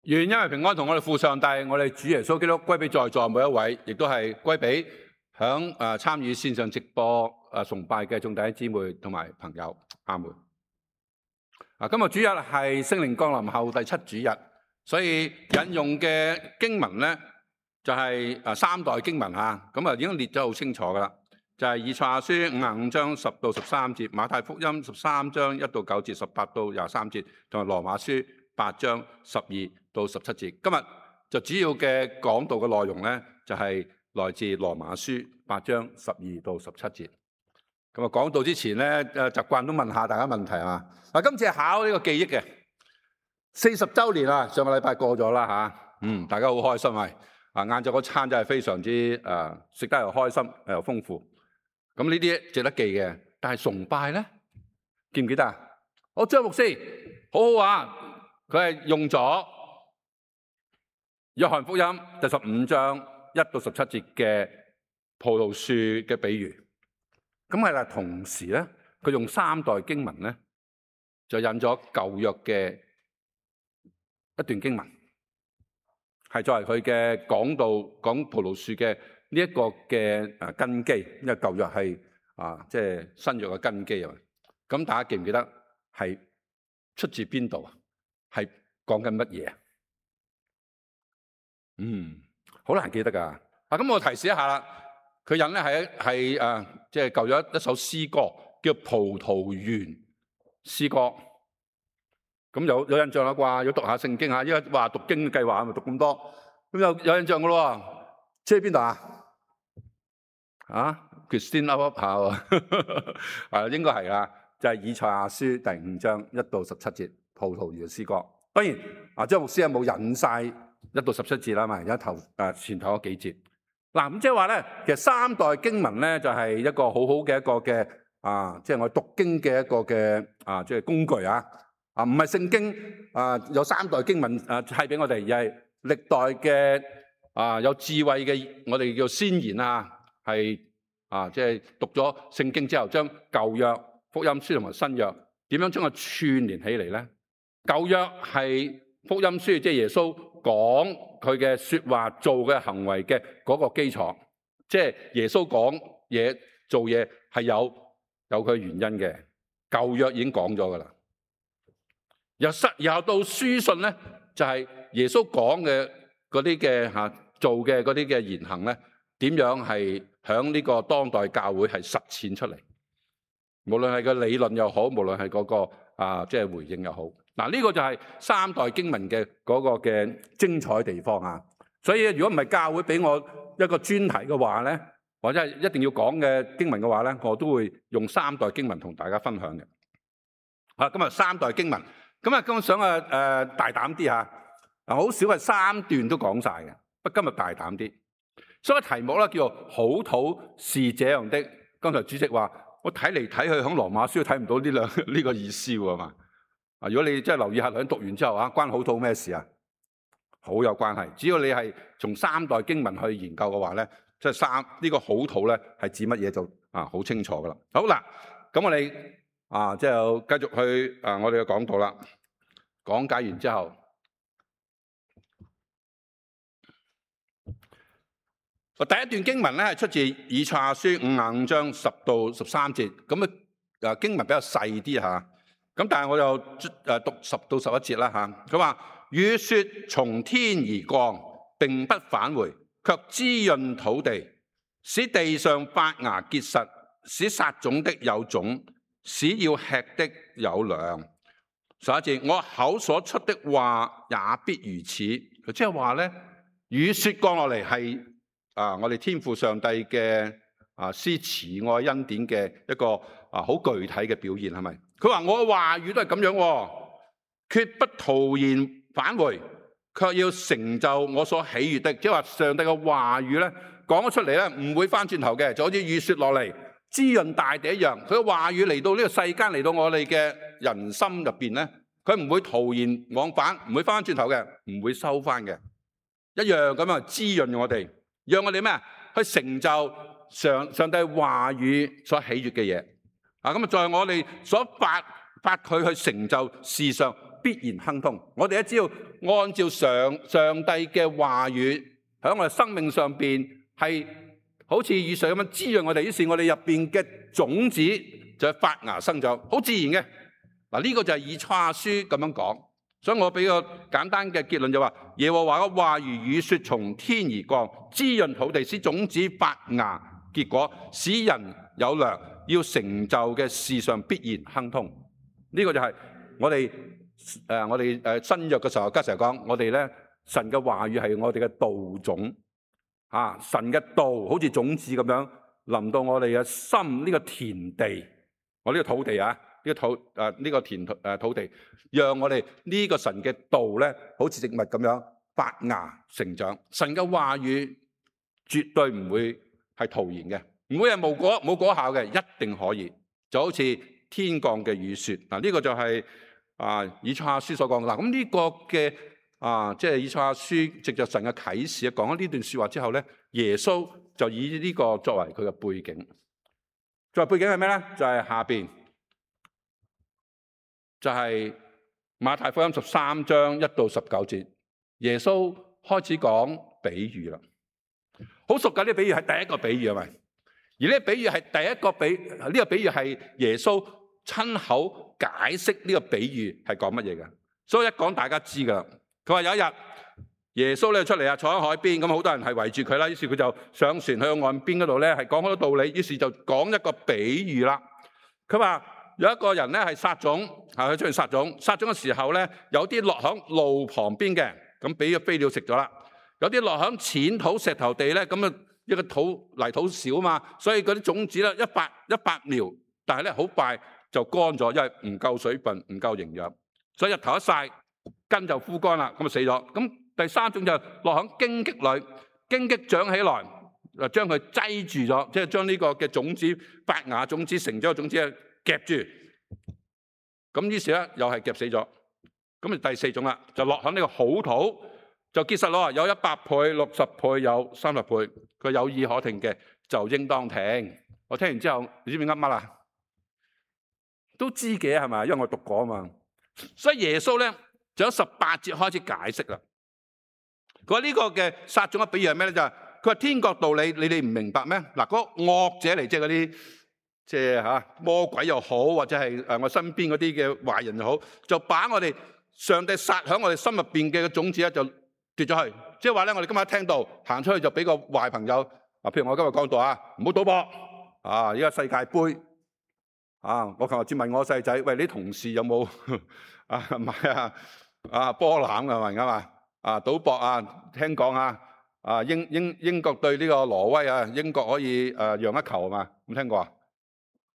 願因為平安同我哋父上帝，我哋主耶穌基督歸俾在座每一位，亦都係歸俾響參與線上直播崇拜嘅眾弟兄姊妹同埋朋友。阿門。今日主日係聖靈降臨後第7主日，所以引用嘅經文咧就係三代經文嚇，咁已經列咗好清楚噶啦，就係以賽亞書55章10到13節，馬太福音13章1到9節，18到23節，同埋羅馬書8章12到17節。今日就主要嘅講道嘅內容咧，就係來自羅馬書8章12到17節。咁啊，講道之前咧，習慣都問下大家問題啊。今次係考呢個記憶嘅40週年啊，上個禮拜過咗啦嚇。大家好開心啊！晏晝嗰餐真係非常之食得又開心又豐富。咁呢啲值得記嘅，但係崇拜咧，記唔記得啊？我張牧師好好啊，佢係用咗約翰福音第15章1到17節嘅葡萄樹嘅比喻。咁係啦，同時咧，佢用三代經文咧，就引咗舊約嘅一段經文，係作為佢嘅講道講葡萄樹嘅呢一個嘅根基，因為舊約係即係新約嘅根基啊。咁大家記唔記得係出自邊度啊？係講緊乜嘢啊？好難記得噶。咁我提示一下啦。佢引咧係即係舊約一首詩歌，叫《葡萄園詩歌》。咁有印象啦啩？要讀下聖經嚇，因為話讀經計劃咪讀咁多，咁有印象噶咯。即係邊度啊？Christine up 下喎，應該係啦，就係以賽亞書第5章1到17節，葡萄園詩歌。當然張牧師有冇引晒1到17節啦嘛？而家前頭嗰幾節。咁即係話咧，其實三代經文咧就係一個好好嘅一個嘅即係我讀經嘅一個嘅即係工具啊！唔係聖經有三代經文係俾我哋，而係歷代嘅有智慧嘅我哋叫先賢啊，係即係讀咗聖經之後，將舊約福音書同埋新約點樣將佢串聯起嚟咧？舊約係福音書，即係耶穌講佢嘅說話做嘅行為嘅嗰個基礎，即係耶穌講嘢做嘢係有佢原因嘅。舊約已經講咗噶啦，然後到書信咧，就係耶穌講嘅嗰啲嘅做嘅嗰啲嘅言行咧，點樣係響呢個當代教會係實踐出嚟？無論係個理論又好，無論係嗰個即係回應又好。呢個就係三代經文嘅嗰個嘅精彩地方啊！所以如果唔係教會俾我一個專題嘅話咧，或者係一定要講嘅經文嘅話咧，我都會用三代經文同大家分享嘅。今日三代經文，今日想大膽啲嚇，好少係3段都講晒嘅，不過今日大膽啲。所以題目咧叫做好土是這樣的。剛才主席話我睇嚟睇去響羅馬書睇唔到呢個意思喎嘛。如果你真係留意下，兩讀完之後關好土咩事啊？好有關係。只要你係從三代經文去研究嘅話咧，即係呢個好土咧係指乜嘢就好清楚噶啦。好啦，咁我哋即係繼續去我哋嘅講道啦。講解完之後，第一段經文咧係出自以賽亞書55章10到13節，咁經文比較細啲嚇。咁但係我就讀10到11節啦嚇。佢話雨雪從天而降，並不返回，卻滋潤土地，使地上發芽結實，使撒種的有種，使要吃的有糧。11節，我口所出的話也必如此。即係話咧，雨雪降落嚟係我哋天父上帝嘅施慈愛恩典嘅一個好具體嘅表現，係咪？佢話我嘅話語都係咁樣，決不徒然返回，卻要成就我所喜悅的。即係話上帝嘅話語咧講咗出嚟咧，唔會翻轉頭嘅，就好似雨雪落嚟滋潤大地一樣。佢嘅話語嚟到呢個世間，嚟到我哋嘅人心入邊咧，佢唔會徒然往返，唔會翻轉頭嘅，唔會收翻嘅，一樣咁樣滋潤我哋，讓我哋咩去成就上帝話語所喜悅嘅嘢。咁在我哋所發佢去成就事上，必然亨通。我哋只要按照上帝嘅話語喺我哋生命上邊係好似雨水咁樣滋潤我哋，於是我哋入邊嘅種子就發芽生長，好自然嘅。嗱，呢個就係以賽亞書咁樣講。所以我俾個簡單嘅結論就話，耶和華嘅話如雨雪從天而降，滋潤土地，使種子發芽結果，使人有糧，要成就嘅事上必然亨通。呢個就係我哋新約嘅時候，家成日講，我哋咧神嘅話語係我哋嘅道種啊，神嘅道好似種子咁樣臨到我哋嘅心呢個田地，我呢個土地啊。呢個土地，讓我哋呢個神嘅道咧，好似植物咁樣發芽成長。神嘅話語絕對唔會係徒然嘅，唔會係冇果效嘅，一定可以。就好似天降嘅雨雪。嗱，呢個就係以賽亞書所講嘅。嗱，咁呢個嘅即係以賽亞書藉着神嘅啟示講咗呢段說話之後咧，耶穌就以呢個作為佢嘅背景。作為背景係咩咧？就係下邊。就係馬太福音13章1到19節，耶穌開始講比喻啦。好熟㗎，呢個比喻係第一個比喻係咪？而呢個比喻係第一個呢個比喻係耶穌親口解釋呢個比喻係講乜嘢嘅。所以一講大家知㗎啦。佢話有一日耶穌咧出嚟啊，坐喺海邊，咁好多人係圍住佢啦。於是佢就上船去到岸邊嗰度咧，係講好多道理。於是就講一個比喻啦。佢話有一個人咧係撒種，佢出去撒種嘅時候咧，有啲落響路旁邊嘅，咁俾咗飛鳥食咗啦。有啲落響淺土石頭地咧，咁啊一個泥土少嘛，所以嗰啲種子咧一百苗，但係咧好快就乾咗，因為唔夠水分，唔夠營養，所以日頭一曬根就枯乾啦，咁就死咗。咁第三種就落響荊棘裏，荊棘長起來，將佢擠住咗，即係將呢個嘅種子發芽種子成咗嘅種子夾住，咁於是咧又係夾死咗。咁啊第四種啦，就落喺呢個好土，就結實咯，有100倍、60倍、有30倍。佢有意可聽嘅就應當聽。我聽完之後，你知唔知噏乜啊？都知嘅係咪？因為我讀過啊嘛。所以耶穌咧就喺18節開始解釋啦。佢話呢個嘅撒種嘅比喻係咩咧？就係佢話天國道理你哋唔明白咩？嗱，嗰個惡者嚟，即係嗰啲。即係魔鬼又好，或者係我身邊嗰啲嘅壞人又好，就把我哋上帝撒喺我哋心入邊嘅種子咧，就跌咗去。即係話咧，我哋今日聽到行出去就俾個壞朋友譬如我今日講到唔好賭博而家世界盃我琴日先問我細仔，喂，你同事有冇買波籃㗎嘛？而家嘛賭博聽講英國對呢個挪威英國可以讓一球嘛？有冇聽過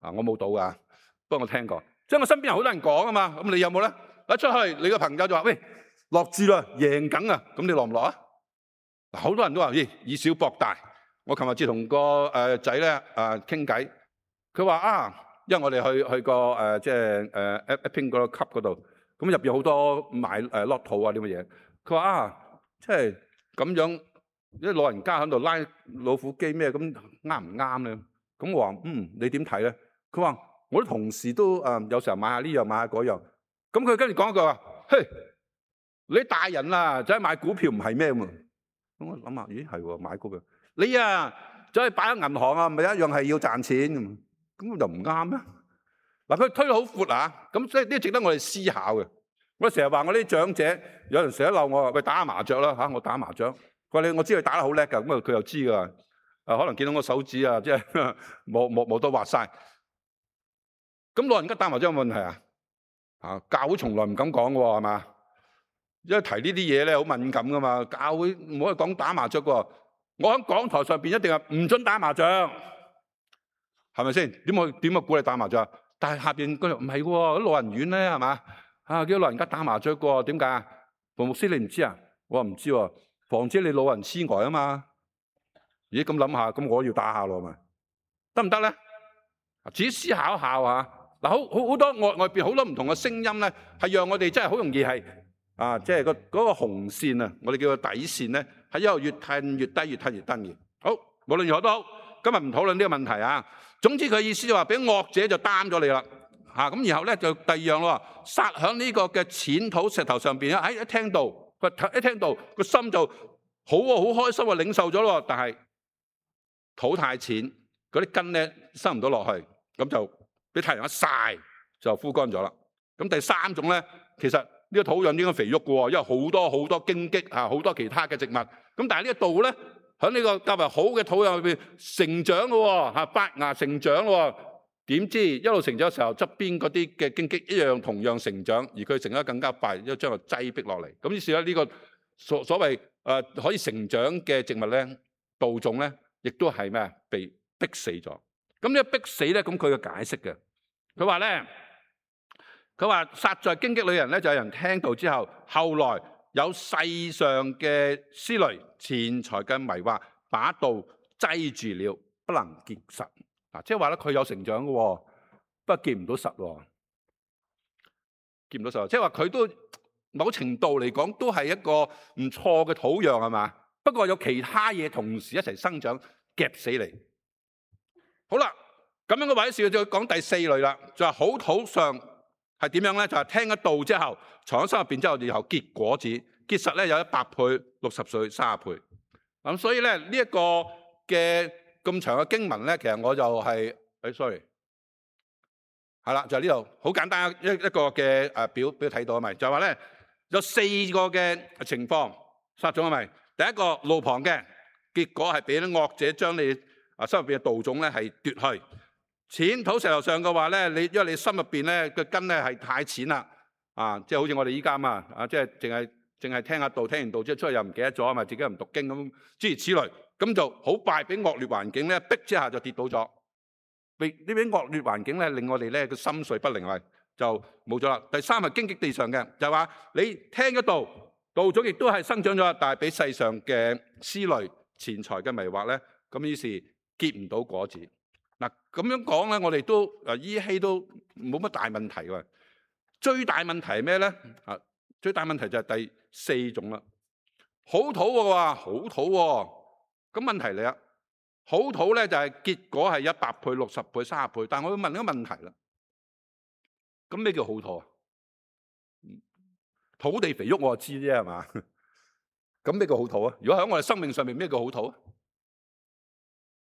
我冇賭噶，不過我聽過，即係我身邊有好多人講啊嘛。咁你有冇咧？一出去，你個朋友就話：喂，落注啦，贏緊啊！咁你落唔落啊？嗱，好多人都話：以小博大。我琴日至同個仔咧傾偈，佢話因為我哋去過即係Epping 嗰個級嗰度，咁入邊好多買lotto 啲乜嘢。佢話即係咁樣，啲老人家喺度拉老虎機咩咁啱唔啱咧？咁我話你點睇咧？佢話我啲同事都有時候買下呢樣買下嗰樣。咁佢跟住講一句話：嘿，你大人啦，走去買股票唔係咩喎？咁我諗下，咦係喎，買股票你走去擺喺銀行咪一樣係要賺錢咁，咁就唔啱咩？嗱，佢推得好闊咁所以呢值得我哋思考嘅。我成日話我啲長者有人成日鬧我話：喂，打下麻雀啦我打麻雀。佢話我知佢打得好叻㗎，咁佢又知㗎。可能見到我手指即係冇都滑晒。咁老人家打麻雀有冇問題教會從來唔敢講喎，係嘛？因為提呢啲嘢咧好敏感噶嘛。教會唔可以講打麻雀喎。我喺講台上邊一定係唔准打麻雀，係咪先？點鼓勵打麻雀？但係下邊嗰度唔係喎，啲老人院咧係嘛？叫老人家打麻雀喎，點解啊？馮牧師你唔知啊？我話唔知喎，防止你老人痴呆啊嘛。咦，咁諗下，咁我要打下咯，咪得唔得咧？自己思考一下嗱，好多外邊好多唔同嘅聲音咧，係讓我哋真係好容易係即係嗰個紅線我哋叫做底線咧，係一路越褪越低，越褪越低嘅。好，無論如何都好，今日唔討論呢個問題總之佢意思就話俾惡者就擔咗你啦咁然後咧就第二樣咯，撒喺呢個嘅淺土石頭上邊咧，一聽到個心就好喎，好開心喎，領受咗咯。但係土太淺，嗰啲根咧生唔到落去，咁就俾太陽一曬就枯乾咗啦。咁第三種咧，其實呢個土壤應該肥沃嘅喎，因為好多好多荊棘好多其他嘅植物。咁但係呢一度咧，喺呢個較為好嘅土壤裏邊成長嘅喎，發芽成長喎。點知一路成長嘅時候，側邊嗰啲嘅荊棘一樣同樣成長，而佢成得更加快，因為將佢擠逼落嚟。咁於是咧，呢個所謂可以成長嘅植物咧，稻種咧，亦都係咩被逼死咗。咁呢個逼死咧，咁佢嘅解釋嘅，佢話咧，佢話撒在荊棘裏嘅人咧，就有人聽到之後，後來有世上嘅思慮、錢財嘅迷惑，把道擠住了，不能結實。即係話咧，佢有成長嘅，不過結唔到實喎，結唔到實。即係話佢都某程度嚟講都係一個唔錯嘅土壤係嘛？不過有其他嘢同時一齊生長夾死你。好啦，咁樣嘅話事就講第四類啦，就係好土上係點樣咧？就係聽咗道之後，藏喺心入邊之後，然後結果子，結實咧有100倍、60歲、30倍。咁所以咧呢一個嘅咁長嘅經文咧，其實我就係，sorry，係啦，就係呢度好簡單一個嘅表睇到啊咪，就係話咧有4個嘅情況撒種啊咪。第一個路旁嘅，結果係俾啲惡者將你心入邊嘅稻種咧係奪去。淺土石頭上嘅話咧，因為你心入邊咧個根咧係太淺啦，即係好似我哋依家嘛，即係淨係聽下道，聽完道之後出去又唔記得咗啊嘛，自己又唔讀經咁，諸如此類。咁就好快俾惡劣環境咧逼之下就跌倒咗。呢啲惡劣環境咧令我哋咧個心緒不寧啊，就冇咗啦。第三係荊棘地上嘅，就係話你聽咗道，稻種亦都係生長咗，但係俾世上嘅思慮、錢財嘅迷惑咧，咁於是結唔到果子。嗱咁樣講咧，我哋都依稀都冇乜大問題喎。最大問題係咩咧？最大問題就係第4種啦。好土嘅話，好土喎。咁問題嚟啦，好土咧就係結果係100倍、60倍、30倍，但係我要問一個問題啦。咁咩叫好土啊？土地肥沃我就知啫係嘛？咁咩叫好土啊？如果喺我哋生命上面咩叫好土啊？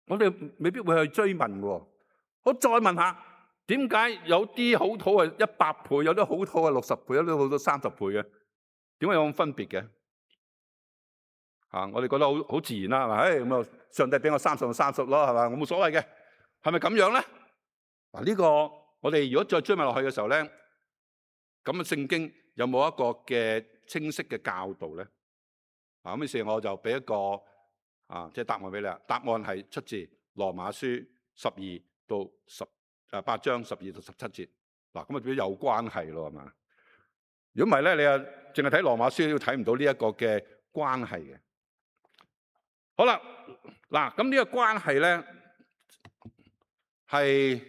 我哋未必會去追問嘅。我再問下，點解有啲好土係100倍，有啲好土係60倍，有啲好土30倍嘅？點解有咁分別嘅？我哋覺得好自然啦，係咪？咁啊，上帝俾我30就30咯，係嘛？我冇所謂嘅，係咪咁樣咧？呢個我哋如果再追問落去嘅時候咧，咁啊聖經有冇一個嘅清晰嘅教導咧？咁於是我就俾一個即係答案俾你啦。答案係出自羅馬書12到8章12到17節。嗱，咁啊表有關係咯，係嘛？如果唔係咧，你啊淨係睇羅馬書都睇唔到呢一個嘅關係嘅。好啦，嗱，咁呢個關係咧係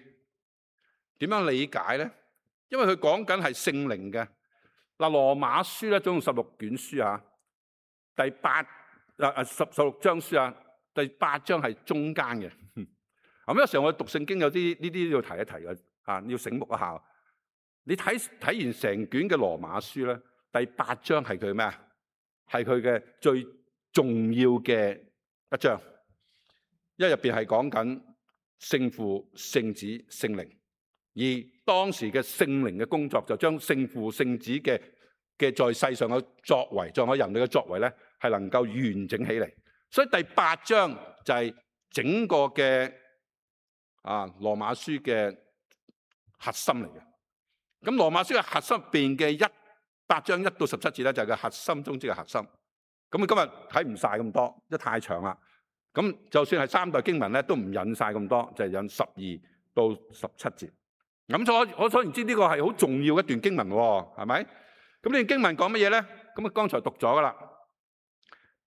點樣理解咧？因為佢講緊係聖靈嘅。嗱，羅馬書咧總共16卷書啊，第16章書第8章係中間嘅。咁有時候我讀聖經有啲呢啲要提一提嘅，要醒目一下。你睇完成卷嘅羅馬書咧，第8章係佢咩啊？係佢嘅最重要嘅一章，因為入邊係講緊聖父、聖子、聖靈，而當時嘅聖靈嘅工作就將聖父、聖子嘅在世上嘅作為，在我人類嘅作為咧，係能夠完整起嚟。所以第8章就係整個嘅羅馬書嘅核心嚟嘅。咁羅馬書嘅核心入邊嘅8章1到17節咧，就係個核心中之嘅核心。咁今日睇唔晒咁多，因為太長啦。咁就算係3代經文咧，都唔引晒咁多，就係引12到17節。咁我所言之呢個係好重要一段經文喎，係咪？咁呢段經文講乜嘢咧？咁啊剛才讀咗噶啦。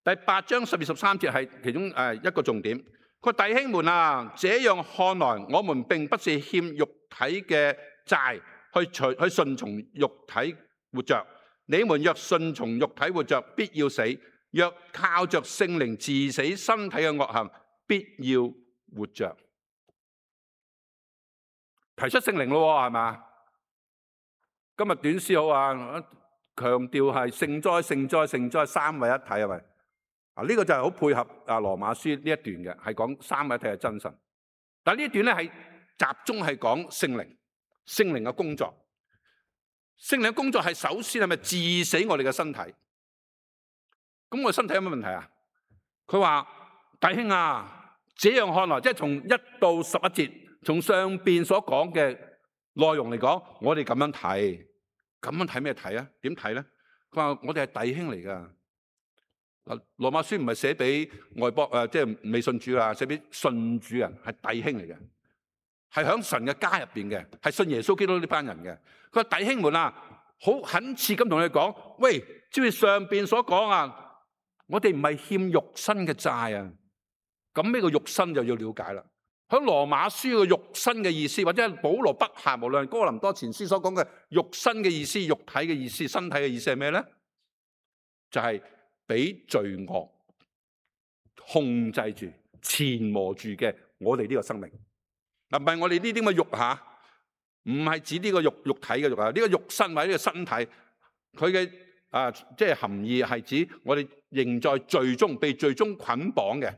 第8章12、13節係其中一個重點。佢話弟兄們啊，這樣看來，我們並不是欠肉體嘅債，去順從肉體活着。你們若順從肉體活着，必要死；若靠着聖靈治死身體嘅惡行，必要活着。提出聖靈咯，係嘛？今日短詩好啊，強調係聖哉、聖哉、聖哉三位一體係咪？啊，呢個就係好配合啊羅馬書呢一段嘅，係講三位一體係真神。但係呢一段咧係集中係講聖靈，聖靈嘅工作。聖靈嘅工作係首先係咪治死我哋嘅身體？咁我身體有咩問題啊？佢話弟兄啊，這樣看來，即係從1到11節，從上邊所講嘅內容嚟講，我哋咁樣睇，咁樣睇咩睇啊？點睇咧？佢話我哋係弟兄嚟噶。嗱，羅馬書唔係寫俾外邦即係未信主啊，寫俾信主人，係弟兄嚟嘅，係響神嘅家入邊嘅，係信耶穌基督呢班人嘅。佢話弟兄們啊，好懇切咁同你講，喂，照住上邊所講啊，我哋唔係欠肉身嘅債啊。咁呢個肉身就要了解啦。喺羅馬書嘅肉身嘅意思，或者係保羅筆下無論哥林多前書所講嘅肉身嘅意思、肉體嘅意思、身體嘅意思係咩咧？就係俾罪惡控制住、纏磨住嘅我哋呢個生命。嗱，唔係我哋呢啲咁嘅肉吓，唔係指呢個肉體嘅肉啊，呢個肉身或者呢個身體，佢嘅即係含義係指我哋仍在罪中，被罪中捆綁嘅。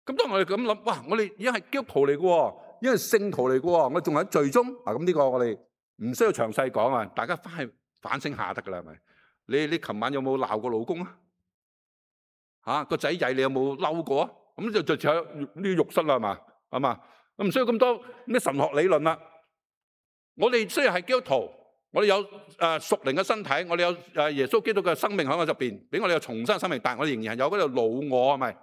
咁當我哋咁諗，哇！我哋已經係基督徒嚟嘅，已經係聖徒嚟嘅，我哋仲喺罪中啊！咁呢個我哋唔需要詳細講啊，大家翻去反省下得噶啦，係咪？你琴晚有冇鬧過老公啊？吓，個仔仔你有冇嬲過啊？咁就有呢啲肉身啦，係嘛？係嘛？唔需要咁多咩神學理論啦。我哋雖然係基督徒，我哋有屬靈嘅身體，我哋有耶穌基督嘅生命喺我入邊，俾我哋有重生生命，但係我哋仍然係有嗰度老我，係咪？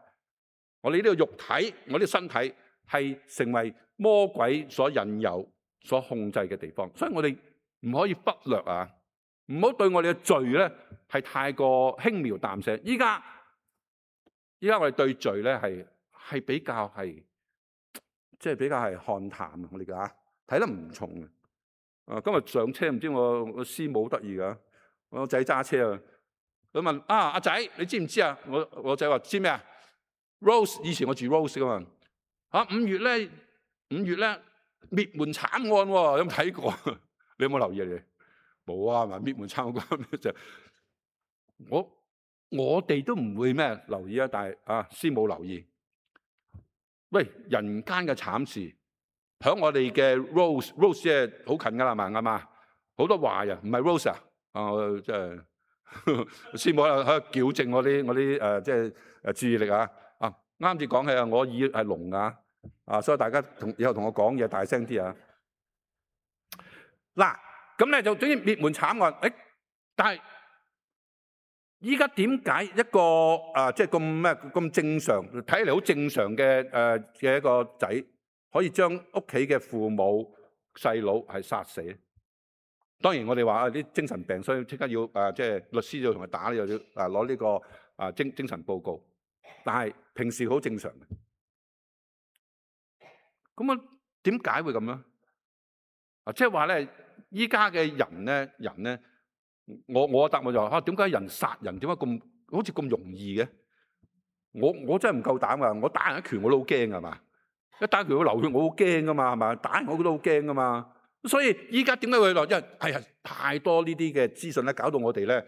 我哋呢個肉體，我啲身體係成為魔鬼所引誘、所控制嘅地方，所以我哋唔可以忽略啊！唔好對我哋嘅罪咧係太過輕描淡寫。依家我哋對罪咧係比較係即係比較係看淡啊！我哋嘅睇得唔重嘅。今日上車唔知我師母得意噶，我仔揸車啊，佢問阿仔你知唔知啊？我仔話知咩啊？Rose 以前我住 Rose 噶嘛5月咧滅門慘案喎，有冇睇過？你有冇留意啊？你冇啊？係咪滅門慘案就我哋都唔會咩留意啊？但係師母留意。喂，人間嘅慘事響我哋嘅 Rose 即係好近噶啦，係嘛？好多華人唔係 Rose 啊？我即係師母喺度矯正我啲即係注意力啊！啱至講起啊，我耳係聾啊，所以大家以後同我講嘢大聲啲啊！嗱，咁咧就總之滅門慘案，但係依家點解一個即係咁正常，睇嚟好正常嘅一個仔，可以將屋企嘅父母細佬係殺死？當然我哋話啲精神病，所以即刻要即係律師要同佢打，又要攞呢個精神報告。但係平時好正常嘅，咁點解會咁樣？即係話咧，依家嘅人咧，我答案就話點解人殺人點解咁好似咁容易嘅？我真係唔夠膽噶，我打人一拳我都好驚噶嘛，一打一拳會流血我好驚噶嘛，係嘛？打人我都好驚噶嘛，所以依家點解會落？因為係太多呢啲嘅資訊咧，搞到我哋咧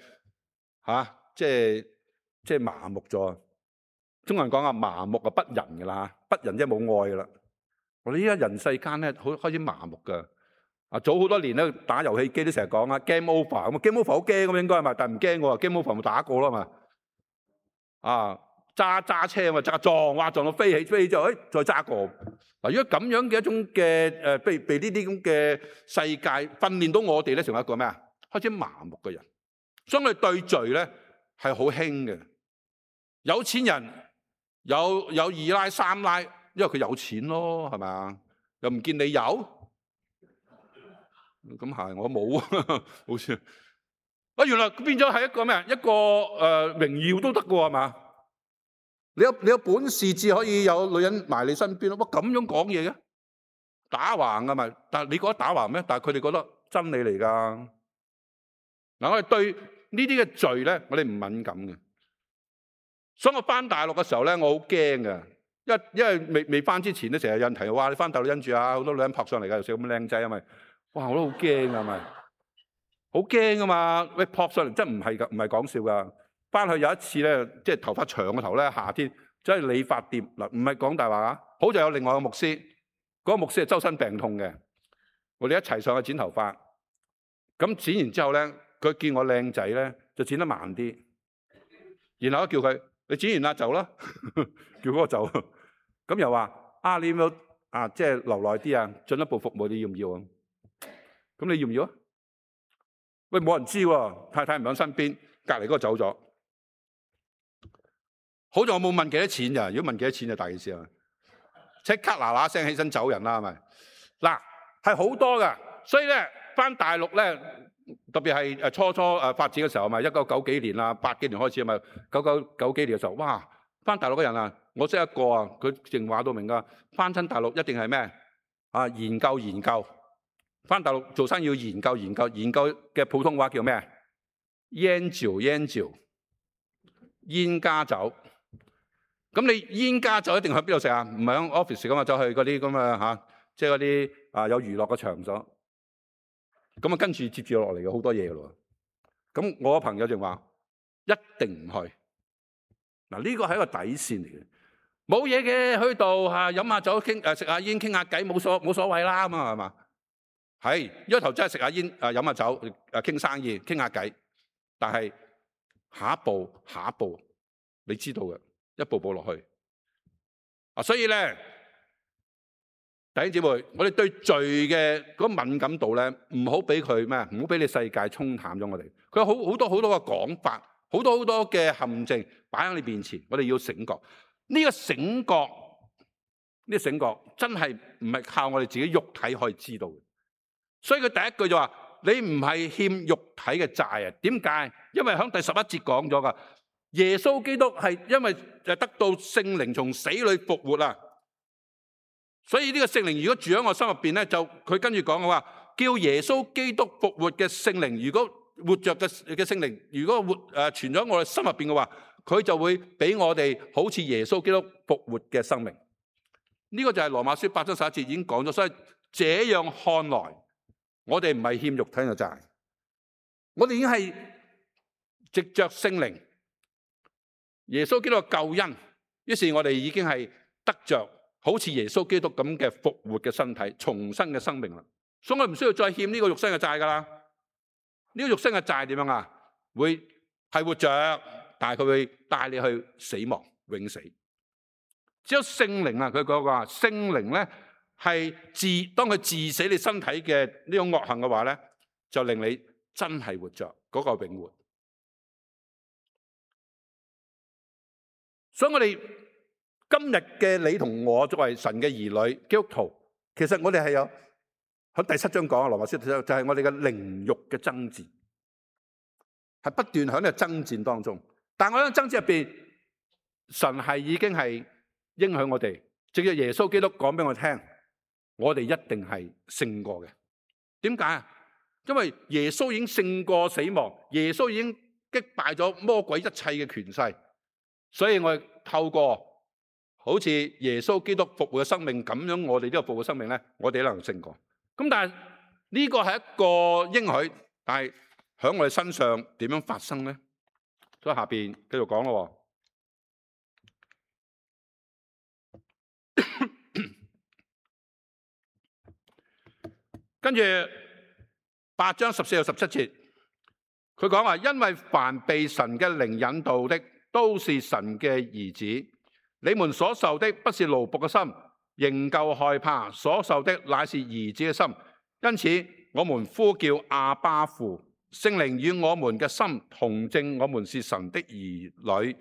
即係麻木咗。中國人講麻木不仁噶啦，不仁即係冇愛噶啦。我哋依家人世間咧，開始麻木噶。早好多年咧，打遊戲機都成日講game over 咁，game over 好驚咁應該係嘛？但係唔驚喎，game over 咪打過咯嘛。揸車嘛，撞到飛起之後，再揸過。嗱，如果咁樣嘅一種嘅被呢啲咁嘅世界訓練到我哋咧，成為一個咩啊？開始麻木嘅人，所以我哋對罪咧係好輕嘅。有錢人。有二奶三奶，因為佢有錢咯，係咪啊？又唔見你有，咁係我冇啊，好似原來變咗係一個咩？一個榮耀都得嘅係嘛？你有本事至可以有女人埋你身邊咯。哇，咁樣講嘢嘅，打橫㗎嘛？但係你覺得打橫咩？但係佢哋覺得真理嚟㗎。嗱，我哋對呢啲嘅罪咧，我哋唔敏感嘅。所以我翻大陸嘅時候咧，我好驚嘅，因為未翻之前咧，成日有人提話你翻大陸因住好多女人撲上嚟㗎，又似咁靚仔啊咪，哇我都好驚啊咪，好驚噶嘛，喂撲上嚟真唔係講笑噶。翻去有一次咧，即係頭髮長嘅頭咧，夏天走去理髮店嗱，唔係講大話啊。好在有另外個牧師，嗰個牧師係周身病痛嘅，我哋一齊上去剪頭髮。咁剪完之後咧，佢見我靚仔咧，就剪得慢啲，然後叫佢你剪完啦走啦，叫嗰個走。咁又話你要唔要即係留耐啲啊？進一步服務你要唔要啊？咁你要唔要啊？喂，冇人知喎，太太唔喺身邊，隔離嗰個走咗。好在我冇問幾多錢咋，如果問幾多錢就大件事啦，即刻嗱聲起身走人啦，係咪？嗱，係好多噶，所以咧翻大陸咧，特別係初發展嘅時候，咪1990幾年啦，80幾年開始啊，咪99幾年嘅時候，哇！翻大陸嘅人啊，我識一個啊，佢淨話到明噶，翻親大陸一定係咩研究。翻大陸做生意要研究嘅普通話叫咩？煙酒，煙加酒。咁你煙加酒一定去邊度食啊？唔係喺 office 噶嘛，走去嗰啲咁嘅即係嗰啲有娛樂嘅場所。咁啊跟住接住落嚟嘅好多嘢噶咯。咁我個朋友就話一定唔去。嗱，呢個係一個底線嚟嘅，冇嘢嘅，去度飲下酒食下煙傾下偈冇所謂啦咁啊，係嘛？係一開頭真係食下煙飲下酒傾生意傾下偈，但係下一步你知道嘅，一步步落去所以咧弟兄姊妹，我哋對罪嘅嗰敏感度咧，唔好俾佢咩？唔好俾你世界沖淡咗我哋。佢有好多嘅講法，好多嘅陷阱擺喺你面前，我哋要醒覺。呢個醒覺真係唔係靠我哋自己肉體可以知道嘅。所以佢第一句就話：你唔係欠肉體嘅債啊？點解？因為喺第11節講咗噶，耶穌基督係因為得到聖靈從死裏復活啊，所以呢個聖靈如果住喺我心入邊咧，就佢跟住講嘅話，叫耶穌基督復活嘅聖靈，如果活着嘅聖靈，如果存咗我哋心入邊嘅話，佢就會俾我哋好似耶穌基督復活嘅生命。呢個就係羅馬書8章11節已經講咗，所以這樣看來，我哋唔係欠肉體嘅債，我哋已經係藉着聖靈耶穌基督嘅救恩，於是我哋已經係得着好似耶穌基督咁嘅復活嘅身體，重生嘅生命啦。所以我唔需要再欠呢個肉身嘅債噶啦。呢個肉身嘅債點樣啊？會係活着，但係佢會帶你去死亡，永死。只有聖靈啊，佢講話聖靈咧係當佢治死你身體嘅呢種惡行嘅話咧，就令你真係活着嗰個永活。所以我哋今日嘅你同我作為神嘅兒女基督徒，其實我哋係有喺第7章講啊，羅馬書就係我哋嘅靈肉嘅爭戰，係不斷喺呢個爭戰當中。但係我喺爭戰入邊，神係已經係應許我哋，藉着耶穌基督講俾我聽，我哋一定係勝過嘅。點解啊？因為耶穌已經勝過死亡，耶穌已經擊敗咗魔鬼一切嘅權勢，所以我哋透過好似耶穌基督復活嘅生命咁樣，我哋呢個復活生命咧，我哋都能勝過。咁但係呢個係一個應許，但係喺我哋身上點樣發生咧？所以下邊繼續講咯。跟住8章14到17節，佢講話：因為凡被神嘅靈引導的，都是神嘅兒子。你們所受的不是奴僕嘅心，仍舊害怕；所受的乃是兒子嘅心。因此，我們呼叫阿爸父。聖靈與我們嘅心同證，我們是神的兒女。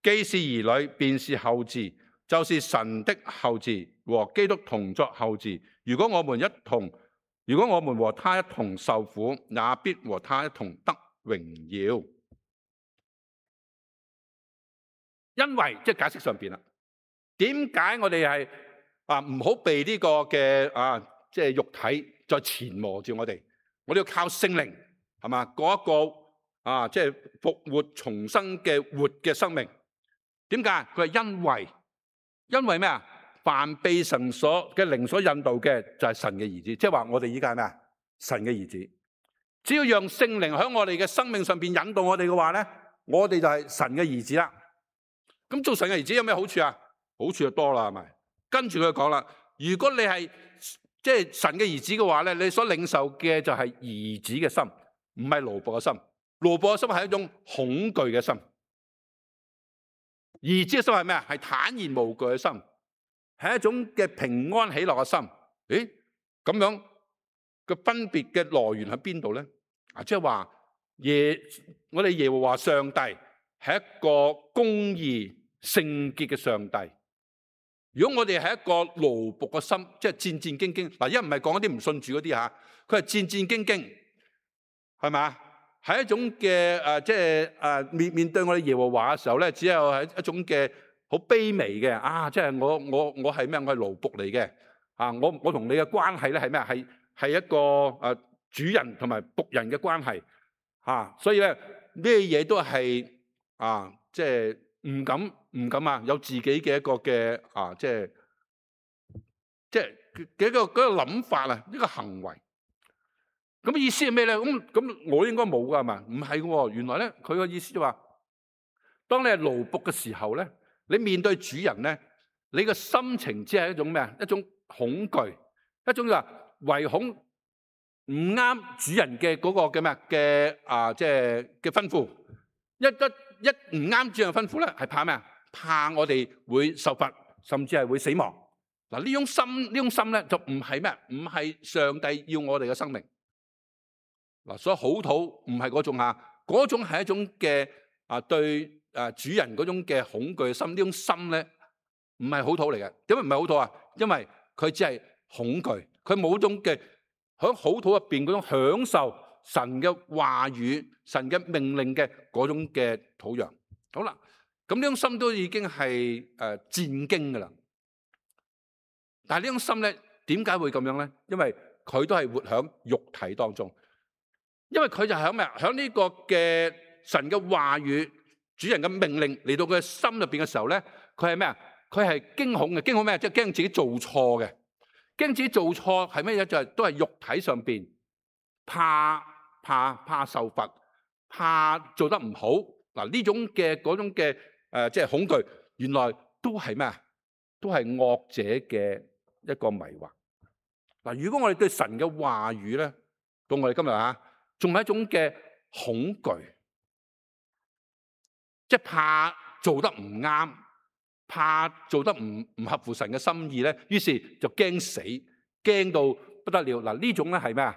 既是兒女，便是後嗣，就是神的後嗣，和基督同作後嗣。如果我們和他一同受苦，也必和他一同得榮耀。因為即係解釋上邊啦，點解我哋係唔好被呢個嘅即係肉體再纏磨住我哋？我哋要靠聖靈，係嘛？過一個即係復活重生嘅活嘅生命。點解？佢係因為咩啊？凡被神嘅靈所引導嘅，就係神嘅兒子。即係話我哋依家係咩啊？神嘅兒子。只要讓聖靈喺我哋嘅生命上邊引導我哋嘅話咧，我哋就係神嘅兒子啦。咁做神嘅兒子有咩好處啊？好處就多啦，係咪？跟住佢講啦，如果你係即係神嘅兒子嘅話咧，你所領受嘅就係兒子嘅心，唔係奴僕嘅心。奴僕嘅心係一種恐懼嘅心，兒子嘅心係咩啊？係坦然無懼嘅心，係一種嘅平安喜樂嘅心。誒，咁樣個分別嘅來源喺邊度咧？啊，即係話我哋耶和華上帝係一個公義聖潔嘅上帝。如果我哋係一個奴僕嘅心，即係戰戰兢兢。嗱，一唔係講一啲唔信主嗰啲吓，佢係戰戰兢兢，係咪？係一種嘅即係面對我哋耶和華嘅時候咧，只有係一種嘅好卑微嘅啊！即係我係咩？我係奴僕嚟嘅啊！我同你嘅關係咧係咩？係一個主人同埋僕人嘅關係啊！所以咧咩嘢都係即係唔敢啊！有自己嘅一個嘅即係嗰個諗法啊，呢個行為。咁意思係咩咧？咁我應該冇噶係嘛？唔係喎，原來咧佢個意思就話，當你係奴僕嘅時候咧，你面對主人咧，你嘅心情只係一種咩啊？一種恐懼，一種就話唯恐唔啱主人嘅嗰個嘅咩嘅即係嘅吩咐。一唔啱主人嘅吩咐咧，係怕咩啊？怕我哋會受罰，甚至係會死亡。嗱，呢種心咧就唔係咩？唔係上帝要我哋嘅生命。嗱，所以好土唔係嗰種嗰種係一種嘅對主人嗰種嘅恐懼嘅心。呢種心咧唔係好土嚟嘅。點解唔係好土啊？因為佢只係恐懼，佢冇種嘅喺好土入邊嗰種享受神嘅話語、神嘅命令嘅嗰種嘅土壤。好啦，咁呢種心都已經係戰驚噶啦。但係呢種心咧，點解會咁樣咧？因為佢都係活喺肉體當中。因為佢就喺咩啊？喺呢個嘅神嘅話語、主人嘅命令嚟到佢嘅心入邊嘅時候咧，佢係咩啊？佢係驚恐嘅。驚恐咩？即係驚自己做錯嘅，驚自己做錯係咩嘢？就係都係肉體上邊怕受罰，怕做得唔好。嗱，呢種嘅嗰種嘅即係恐懼，原來都係咩啊？都係惡者嘅一個迷惑。嗱，如果我哋對神嘅話語咧，到我哋今日仲係一種嘅恐懼，即係怕做得唔啱，怕做得唔合乎神嘅心意咧，於是就驚死，驚到不得了。嗱，呢種咧係咩啊？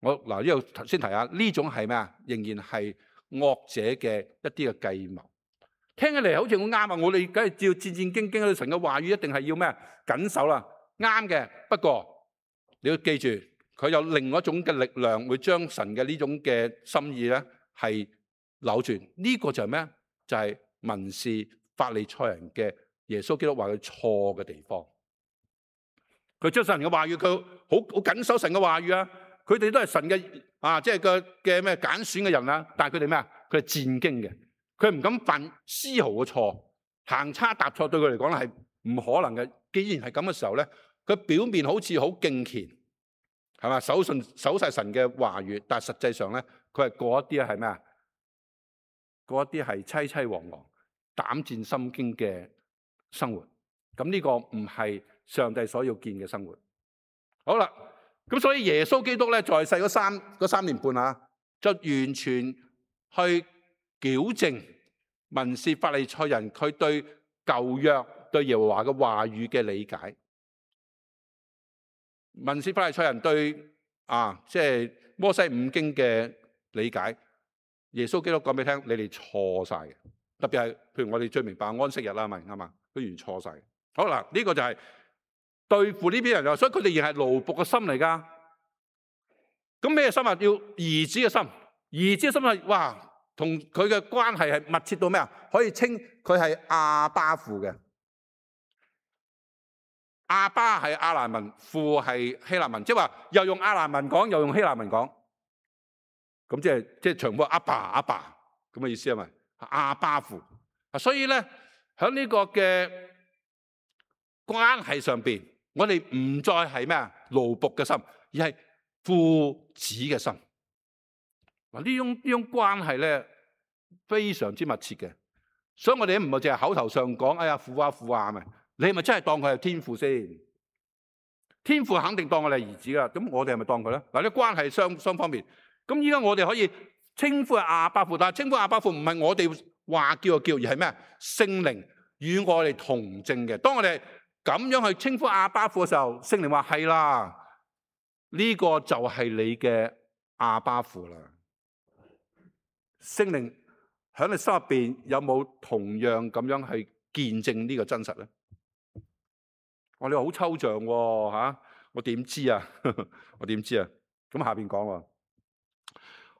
我呢度頭先提下，呢種係咩啊？仍然係惡者嘅一啲嘅計謀。聽起嚟好似好啱啊！我哋梗係照戰戰兢兢對神嘅話語，一定係要咩啊？緊守啦，啱嘅。不過你要記住，佢有另外一種嘅力量，會將神嘅呢種嘅心意咧係扭轉。呢個就係咩？就係文士法利賽人嘅耶穌基督話佢錯嘅地方。佢將神嘅話語，佢好緊守神嘅話語啊！佢哋都係神嘅即係嘅咩揀選嘅人啊！但係佢哋咩啊？佢係戰驚嘅，佢唔敢犯絲毫嘅錯，行差踏錯對佢嚟講咧係唔可能嘅。既然係咁嘅時候咧，佢表面好似好敬虔。係嘛？守晒神嘅話語，但係實際上咧，佢係過一啲係咩啊？過一啲係淒淒惶惶、膽戰心驚嘅生活。咁呢個唔係上帝所要見嘅生活。好啦，咁所以耶穌基督咧在世嗰三年半就完全去矯正文士法利賽人佢對舊約對耶和華嘅話語嘅理解。文士法利賽人對即係摩西五經嘅理解，耶穌基督講俾你聽，你哋錯晒嘅。特別係譬如我哋最明白安息日啦，咪啱嘛？都完錯晒。好啦，呢個就係對付呢啲人，所以佢哋仍係奴僕嘅心嚟噶。咁咩心啊？要兒子嘅心，兒子嘅心係哇，同佢嘅關係係密切到咩啊？可以稱佢係阿爸父嘅。阿爸係亞蘭文，父係希臘文，即係話又用亞蘭文講，又用希臘文講，咁即係長母阿爸咁嘅意思係咪？阿爸父，所以咧喺呢個嘅關係上邊，我哋唔再係咩啊奴僕嘅心，而係父子嘅心。嗱，呢種關係咧非常之密切嘅，所以我哋唔係淨係口頭上講，哎呀父啊父啊，咪你係咪真係當佢係天父先？天父肯定當我哋係兒子噶，咁我哋係咪當佢咧？嗱，啲關係雙方面。咁依家我哋可以稱呼係阿爸父，但係稱呼阿爸父唔係我哋話叫就叫，而係咩？聖靈與我哋同證嘅。當我哋咁樣去稱呼阿爸父嘅時候，聖靈話係啦，呢個就係你嘅阿爸父啦。聖靈喺你心入邊有冇同樣咁樣去見證呢個真實咧？我哋話好抽象喎，吓，我點知啊？我點知啊？咁下邊講喎。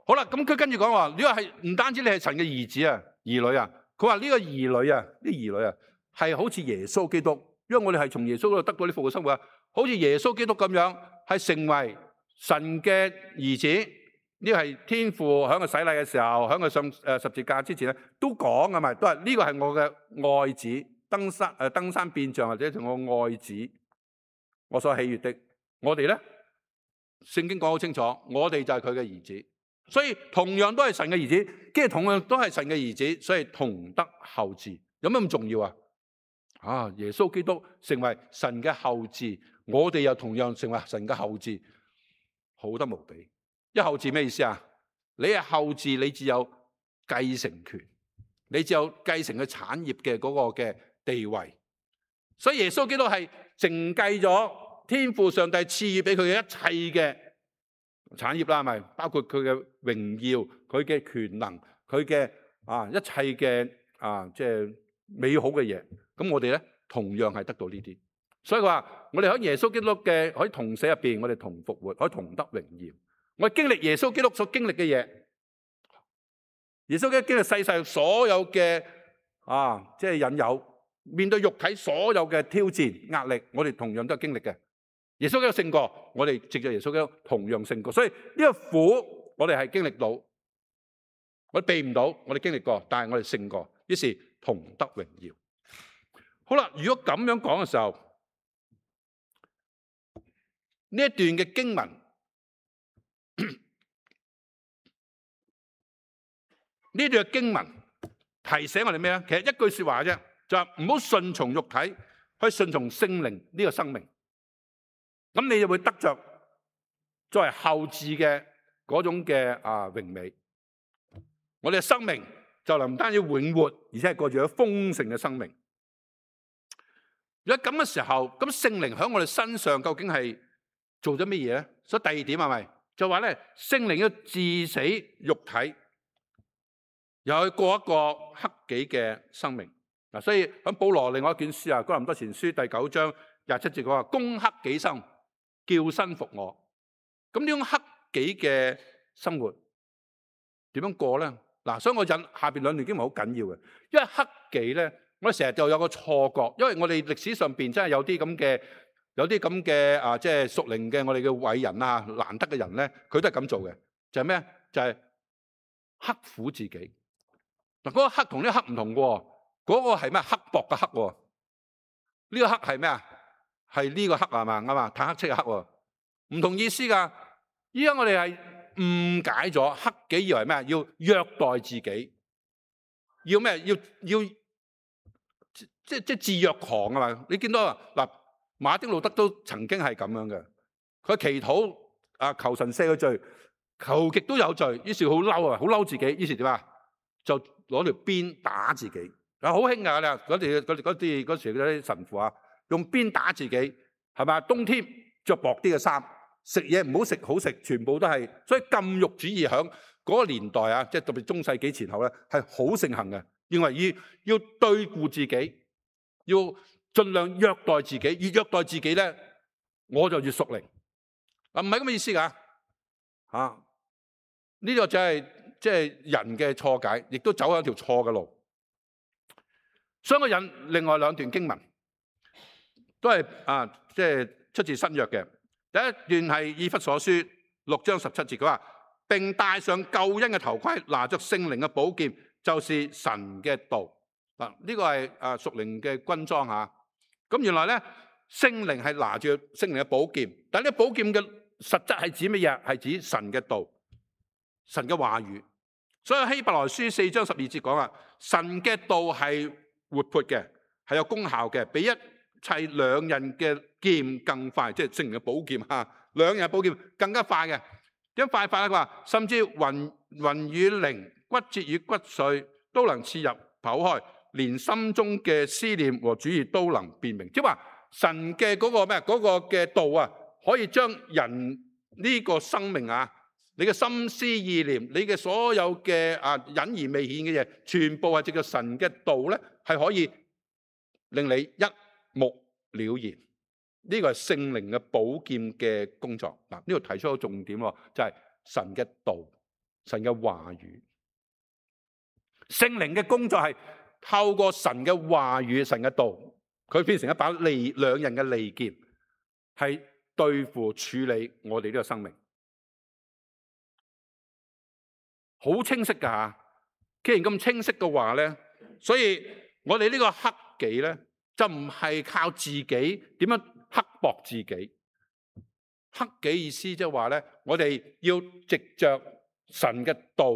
好啦，咁佢跟住講話，呢個係唔單止你係神嘅兒子啊、兒女啊，佢話呢個兒女啊、啲兒女啊，係好似耶穌基督，因為我哋係從耶穌嗰度得到啲復活生活啊，好似耶穌基督咁樣，係成為神嘅兒子。呢個係天父喺佢洗禮嘅時候，喺佢上十字架之前咧，都講㗎嘛，都係呢個係我嘅愛子，登山變像或者同我愛子，我所喜悅的。我哋咧，聖經講好清楚，我哋就係佢嘅兒子。所以同樣都係神嘅兒子，跟住同樣都係神嘅兒子，所以同得後嗣。有咩咁重要啊？耶穌基督成為神嘅後嗣，我哋又同樣成為神嘅後嗣，好得無比。一後嗣咩意思啊？你係後嗣，你只有繼承權，你只有繼承佢產業嘅嗰個嘅地位。所以耶穌基督係承繼咗天父上帝賜予俾佢嘅一切嘅產業啦，係咪？包括佢嘅榮耀、佢嘅權能、佢嘅一切嘅即係美好嘅嘢。咁我哋咧同樣係得到呢啲。所以佢話我哋喺耶穌基督嘅可以同死入邊，我哋同復活，可以同得榮耀。我哋經歷耶穌基督所經歷嘅嘢，耶穌基督經歷世上所有嘅即係引誘，面對肉體所有嘅挑戰壓力，我哋同樣都係經歷嘅。耶穌基督勝過，我哋藉着耶穌基督同樣勝過。所以呢個苦我哋係經歷到，我哋避唔到，我哋經歷過，但係我哋勝過，於是同得榮耀。好啦，如果咁樣講嘅時候，呢一段嘅經文，呢段嘅經文提醒我哋咩咧？其實一句說話啫，就係唔好順從肉體，去順從聖靈呢個生命。咁你就會得着作為後嗣嘅嗰種嘅榮美。我哋嘅生命就能唔單止永活，而且係過住咗豐盛嘅生命。如果咁嘅時候，咁聖靈喺我哋身上究竟係做咗乜嘢咧？所以第二點係咪就話咧，聖靈要治死肉體，又去過一個克己嘅生命。嗱，所以喺保羅另外一卷書哥林多前書第9章27節講話，攻克己心，叫身服我。咁呢種克己嘅生活點樣過咧？嗱，所以我引下邊兩段經文好緊要嘅，因為克己咧，我哋成日就有個錯覺，因為我哋歷史上邊真係有啲咁嘅即係屬靈嘅我哋嘅偉人難得嘅人咧，佢都係咁做嘅，就係咩？就係刻苦自己。嗱，嗰個刻同呢個刻唔同嘅，嗰個係咩？刻薄嘅刻，呢個刻係咩啊？係呢個刻係嘛？啱嘛？坦克車嘅刻，唔同意思噶。依家我哋係誤解咗克己，以為咩？要虐待自己，要咩？要即係自虐狂啊嘛！你見到嗱，馬丁路德都曾經係咁樣嘅，佢祈禱求神赦佢罪，求極都有罪，於是好嬲啊，好嬲自己，於是點啊？就攞條鞭打自己。好興噶啦，嗰時嗰啲神父用鞭打自己，係咪？冬天着薄啲嘅衫，食嘢唔好食好食，全部都係。所以禁欲主義響嗰個年代即係特別中世紀前後咧，係好盛行嘅。認為要對付自己，要盡量虐待自己，越虐待自己咧，我就越屬靈。唔係咁嘅意思噶。呢個就係即係人嘅錯解，亦都走喺一條錯嘅路。所以我引另外兩段經文，都係即係出自新約嘅。第一段係以弗所書6章17節，佢話並戴上救恩嘅頭盔，拿着聖靈嘅寶劍，就是神嘅道。呢個係屬靈嘅軍裝吓。咁原來咧，聖靈係拿住聖靈嘅寶劍，但係呢寶劍嘅實質係指乜嘢？係指神嘅道。神嘅話語。所以希伯來書4章12節講啊，神嘅道係活潑嘅，係有功效嘅，比一切兩刃嘅劍更快，即係聖靈嘅寶劍啊，兩刃寶劍更加快嘅。點快法咧？佢話甚至魂與靈、骨節與骨髓都能刺入剖開，連心中嘅思念和主意都能辨明。即係話神嘅嗰個咩？嗰個嘅道啊，可以將人呢個生命啊，你嘅心思意念，你嘅所有嘅隱而未顯嘅嘢，全部係藉着神嘅道咧，係可以令你一目了然。呢個係聖靈嘅寶劍嘅工作。嗱，呢度提出個重點喎，就係神嘅道、神嘅話語。聖靈嘅工作係透過神嘅話語、神嘅道，佢變成一把兩刃嘅利劍，係對付處理我哋呢個生命。好清晰㗎嚇！既然咁清晰嘅話咧，所以我哋呢個克己咧，就唔係靠自己點樣刻薄自己。克己意思即係話咧，我哋要藉着神嘅道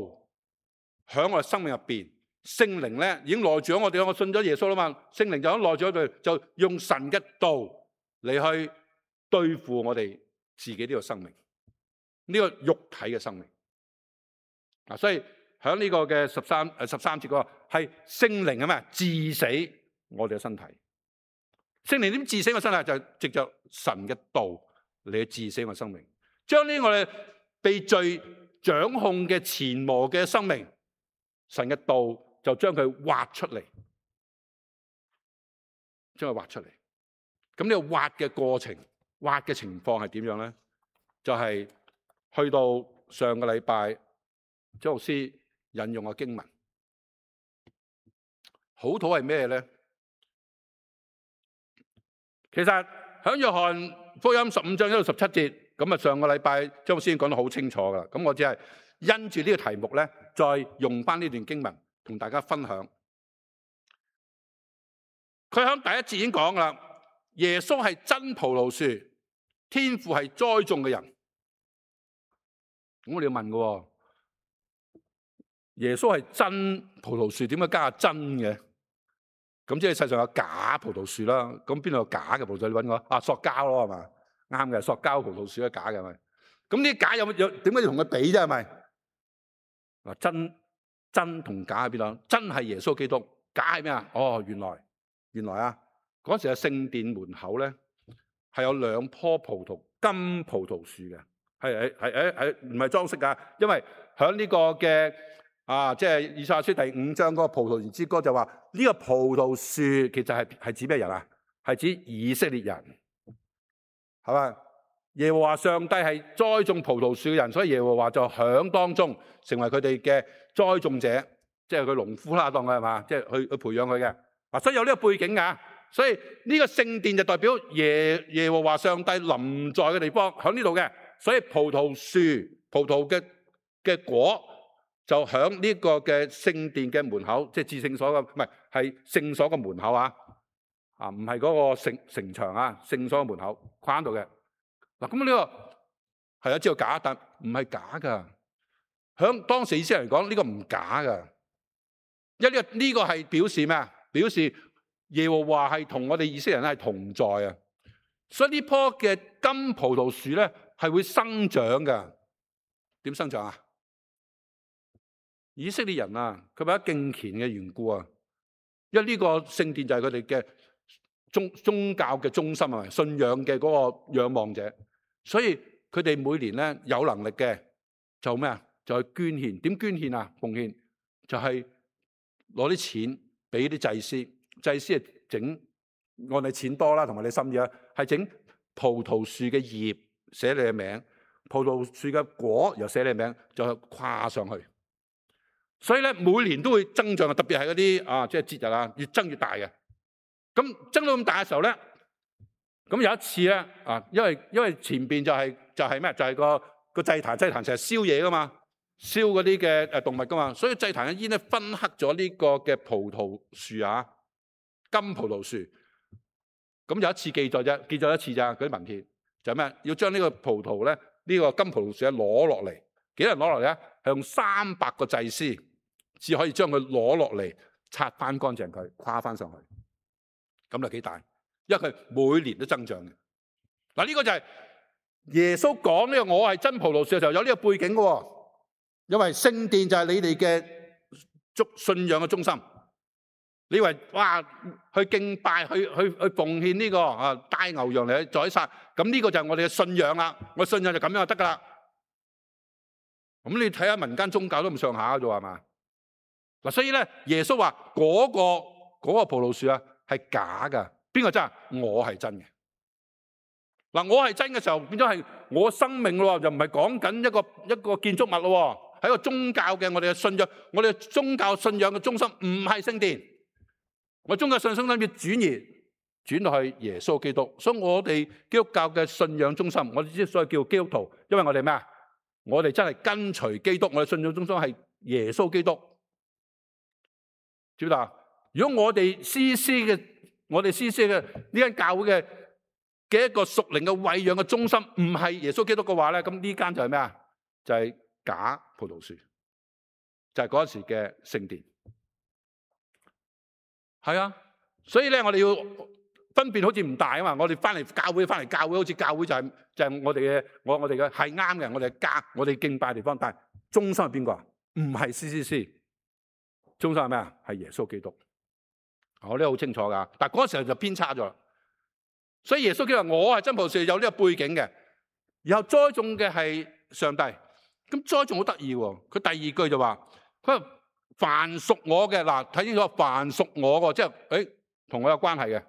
喺我哋生命入邊，聖靈咧已經內住咗我哋，我信咗耶穌啦嘛，聖靈就喺內住咗佢，就用神嘅道嚟去對付我哋自己呢個生命，呢個肉體嘅生命。所以喺呢個嘅13節嗰個係聖靈咩？治死我哋嘅身體。聖靈點治死我身體？就係藉着神嘅道嚟去治死我生命，將呢我哋被罪掌控嘅前磨嘅生命，神嘅道就將佢挖出嚟，將佢挖出嚟。咁呢個挖嘅過程、挖嘅情況係點樣咧？就係去到上個禮拜張牧師引用嘅經文，好土係咩咧？其實喺約翰福音15章1到17節，咁啊上個禮拜張牧師已經講得好清楚噶啦。咁我只係因住呢個題目咧，再用翻呢段經文同大家分享。佢喺第一節已經講噶啦，耶穌係真葡萄樹，天父係栽種嘅人。咁我哋要問嘅，耶穌係真葡萄樹，點解加真嘅？咁即係世上有假葡萄樹啦。咁邊度有假嘅葡萄樹？你揾我塑膠咯，係嘛？啱嘅，塑膠葡萄樹係假嘅，係咪？咁呢啲假有點解要同佢比啫？係咪？嗱，真同假喺邊度？真係耶穌基督，假係咩啊？哦，原來啊，嗰時嘅聖殿門口咧係有2棵金葡萄樹嘅，係唔係裝飾㗎？因為喺呢個嘅即係以賽亞書第5章嗰個葡萄園之歌就話呢個葡萄樹其實係指咩人啊？係指以色列人，係咪？耶和華上帝係栽種葡萄樹嘅人，所以耶和華就響當中成為佢哋嘅栽種者，即係佢農夫啦，當佢係嘛，即係去培養佢嘅。所以有呢個背景㗎。所以呢個聖殿就代表耶和華上帝臨在嘅地方，喺呢度嘅。所以葡萄樹、葡萄嘅果就喺呢個嘅聖殿嘅門口，即係至聖所嘅，唔係聖所嘅門口啊！唔係嗰個城牆啊，聖所嘅門口框度嘅。嗱，咁呢個係啊，知道假，但唔係假噶。響當時以色列人嚟講，呢個唔假噶，因為呢個係表示咩啊？表示耶和華係同我哋以色列人係同在啊。所以呢棵嘅金葡萄樹咧係會生長噶。點生長啊？以色列人啊，佢為咗敬虔嘅緣故啊，因為呢個聖殿就係佢哋嘅宗教嘅中心啊，信仰嘅嗰個仰望者，所以佢哋每年咧有能力嘅就咩啊？就去捐獻。點捐獻啊？奉獻就係攞啲錢俾啲祭司，祭司係整按你錢多啦，同埋你心意啦，係整葡萄樹嘅葉寫你嘅名，葡萄樹嘅果又寫你嘅名，就跨上去。所以咧每年都會增長，特別係嗰啲即係節日啊，越增越大嘅。咁增到咁大嘅時候咧，咁有一次咧因為前邊就係咩？就係個祭壇成日燒嘢噶嘛，燒嗰啲嘅動物噶嘛，所以祭壇嘅煙咧熏黑咗呢個嘅葡萄樹啊，金葡萄樹。咁有一次記載啫，記載一次咋嗰啲文獻就係咩？要將呢個葡萄咧，呢個金葡萄樹咧攞落嚟，幾多人攞落嚟咧？係用300個祭司至可以將佢攞落嚟，擦翻乾淨佢，跨翻上去。咁就幾大，因為佢每年都增長嘅。嗱，呢個就係耶穌講呢個我係真葡萄樹嘅時候有呢個背景嘅。因為聖殿就係你哋嘅信仰嘅中心。你以為哇去敬拜去奉獻呢個帶牛羊嚟宰殺，咁呢個就係我哋嘅信仰啦。我信仰就咁樣就得噶啦。咁你睇下民間宗教都咁上下嘅啫，係嘛？嗱，所以咧耶穌話嗰個葡萄樹啊係假噶，邊個真啊？我係真嘅。嗱，我係真嘅時候變咗係我生命咯，就唔係講緊一個建築物咯，係一個宗教嘅我哋嘅信仰，我哋嘅宗教信仰嘅中心唔係聖殿。我宗教信仰中心要轉到去耶穌基督，所以我哋基督教嘅信仰中心，我哋之所以叫基督徒，因為我哋咩啊？我哋真係跟隨基督，我哋信仰中心係耶穌基督，知唔知道？如果我哋 CC 嘅呢間教會嘅一個屬靈嘅餵養嘅中心唔係耶穌基督嘅話咧，咁呢間就係咩啊？就係假葡萄樹，就係嗰時嘅聖殿。係啊，所以咧我哋要分辨好似唔大啊嘛。我哋翻嚟教會，好似教會就係我哋嘅係啱嘅，我哋嘅家，我哋敬拜嘅地方。但係中心係邊個啊？唔係 CCC， 中心係咩啊？係耶穌基督。我呢好清楚噶，但係嗰時候就偏差咗。所以耶穌基督話我係真葡萄樹，有呢個背景嘅，然後栽種嘅係上帝。咁栽種好得意喎，佢第二句就話佢話凡屬我嘅，嗱，睇清楚，凡屬我嘅，即係同我有關係嘅，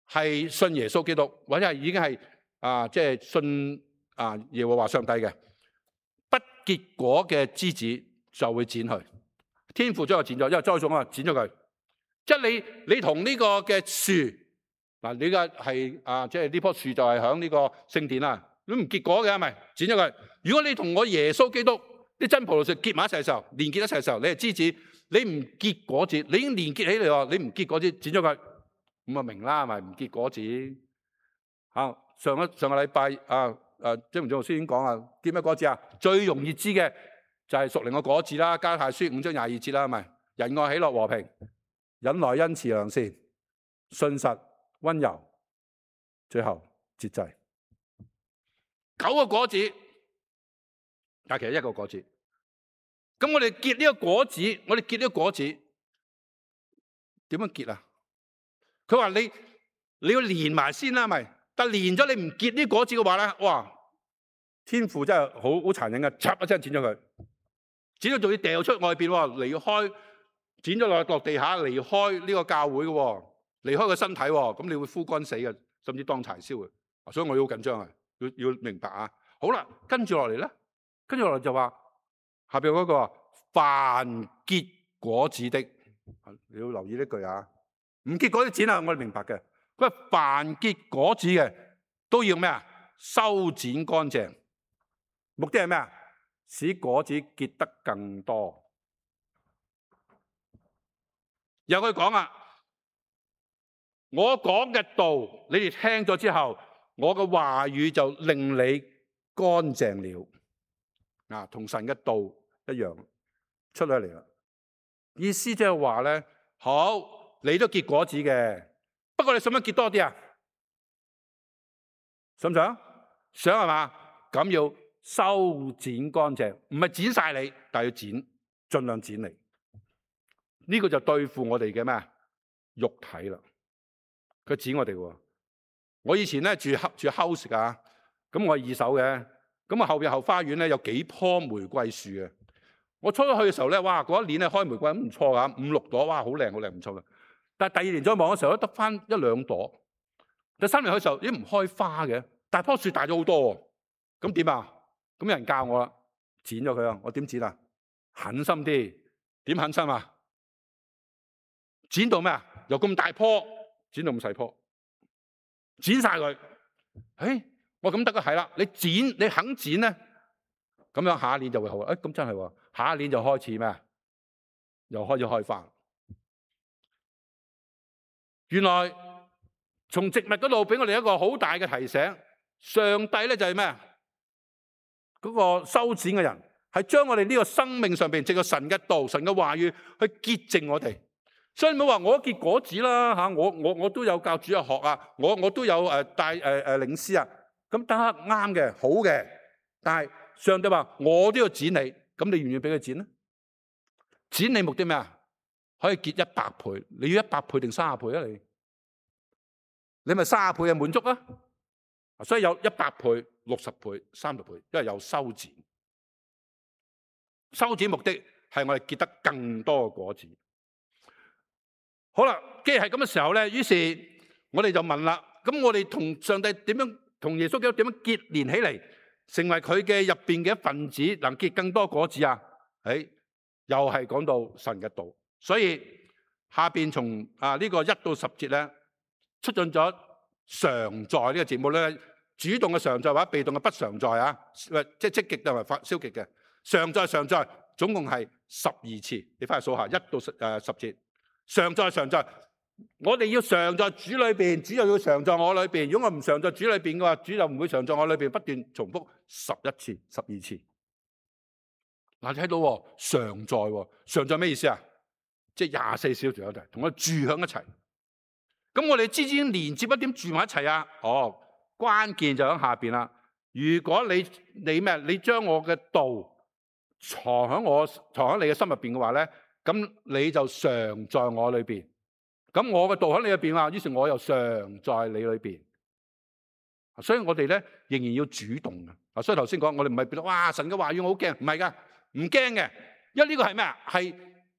係信耶穌基督或者係已經係即係信耶和華上帝嘅，不結果嘅枝子就會剪去。天父將佢剪咗，因為栽種啊，剪咗佢。即係你同呢個嘅樹嗱，你嘅係即係呢棵樹就係響呢個聖殿啦，你唔結果嘅係咪？剪咗佢。如果你同我耶穌基督啲真葡萄樹結埋一齊嘅時候，連結一齊嘅時候，你係枝子，你唔結果子，你已經連結起嚟喎，你唔結果子，剪咗佢，咁啊明啦，係咪唔結果子？上個禮拜張文俊老師已經講結咩果子啊？最容易知嘅就係屬靈嘅果子啦，加拉太書5章22節啦，係咪？仁愛、喜樂、和平、忍耐、恩慈、良善、信實、溫柔，最後節制。9個果子，但其實一個果子。咁我哋結呢個果子，點樣結啊？佢話你要連埋先啦，咪？但連咗你唔結呢果子嘅話咧，哇！天父真係好殘忍嘅，嚓一聲剪咗佢，剪咗仲要掉出外邊，離開，剪咗落地下，離開呢個教會嘅，離開個身體，咁你會枯乾死嘅，甚至當柴燒嘅。所以我要好緊張啊，要明白啊。好啦，跟住落嚟咧，就話下邊嗰個凡結果子的，你要留意呢句啊。唔結果子剪啊，我哋明白嘅。佢話凡結果子嘅都要咩啊？修剪乾淨，目的係咩啊？使果子結得更多。有佢講啊，我講嘅道，你哋聽咗之後，我嘅話語就令你乾淨了。同神嘅道一樣出咗嚟啦。意思即係話咧，好，你都結果子嘅，不過你想唔想結多啲啊？想唔想？想係嘛？咁要修剪乾淨，唔係剪晒你，但係要剪，盡量剪嚟。呢個就對付我哋嘅咩肉體啦。佢剪我哋喎。我以前咧住 house 㗎，咁我係二手嘅，咁啊後邊後花園咧有幾棵玫瑰樹嘅。我初初去嘅時候咧，哇！嗰一年咧開玫瑰咁唔錯㗎，5、6朵，哇！好靚唔錯嘅。但係第2年再望嘅時候咧，得翻1、2朵。第3年去嘅時候已經唔開花嘅，但係棵樹大咗好多喎。咁點啊？咁有人教我啦，剪咗佢啊！我點剪啊？狠心啲，點狠心啊？剪到咩啊？由咁大棵剪到咁細棵，剪晒佢。我咁得嘅係啦，你肯剪咧，咁樣下一年就會好。咁真係喎，下一年就開始咩？又開始開花。原來從植物嗰度俾我哋一個好大嘅提醒，上帝咧就係咩？嗰個修剪嘅人，係將我哋呢個生命上邊藉着神嘅道、神嘅話語去潔淨我哋。所以唔好話我都結果子啦嚇，我都有教主日學啊，我都有帶領詩啊，咁得啱嘅，好嘅。但係上帝話我都要剪你，咁你願意俾佢剪咧？剪你目的咩啊？可以結100倍，你要100倍定30倍啊？你咪30倍就滿足啊！所以有100倍、60倍、30倍，因為有修剪。修剪目的係我哋結得更多嘅果子。好啦，既然係咁嘅時候咧，於是我哋就問啦：咁我哋同上帝點樣，同耶穌基督點樣結連起嚟，成為佢嘅入邊嘅一份子，能結更多果子啊？又係講到神嘅道。所以下邊從呢個1到10節咧，出現咗常在呢個節目咧，主動嘅常在或者被動嘅不常在啊，即係積極同埋消極嘅。常在常在，總共係12次。你翻去數下1到10節。常在常在，我哋要常在主裏邊，主又要常在我裏邊。如果我唔常在主裏邊嘅話，主就唔會常在我裏邊，不斷重複11次、12次。嗱，你睇到常在，常在咩意思啊？即係24小時有齊，同我住響一齊。咁我哋之間連接一點住埋一齊啊？關鍵就喺下邊啦。如果你將我嘅道藏喺你嘅心入邊嘅話咧，咁你就常在我裏邊。咁我嘅道喺你入邊啊，於是我又常在你裏邊。所以我哋咧仍然要主動嘅。所以頭先講，我哋唔係變到哇神嘅話語我好驚，唔係噶，唔驚嘅。因為呢個係咩啊？係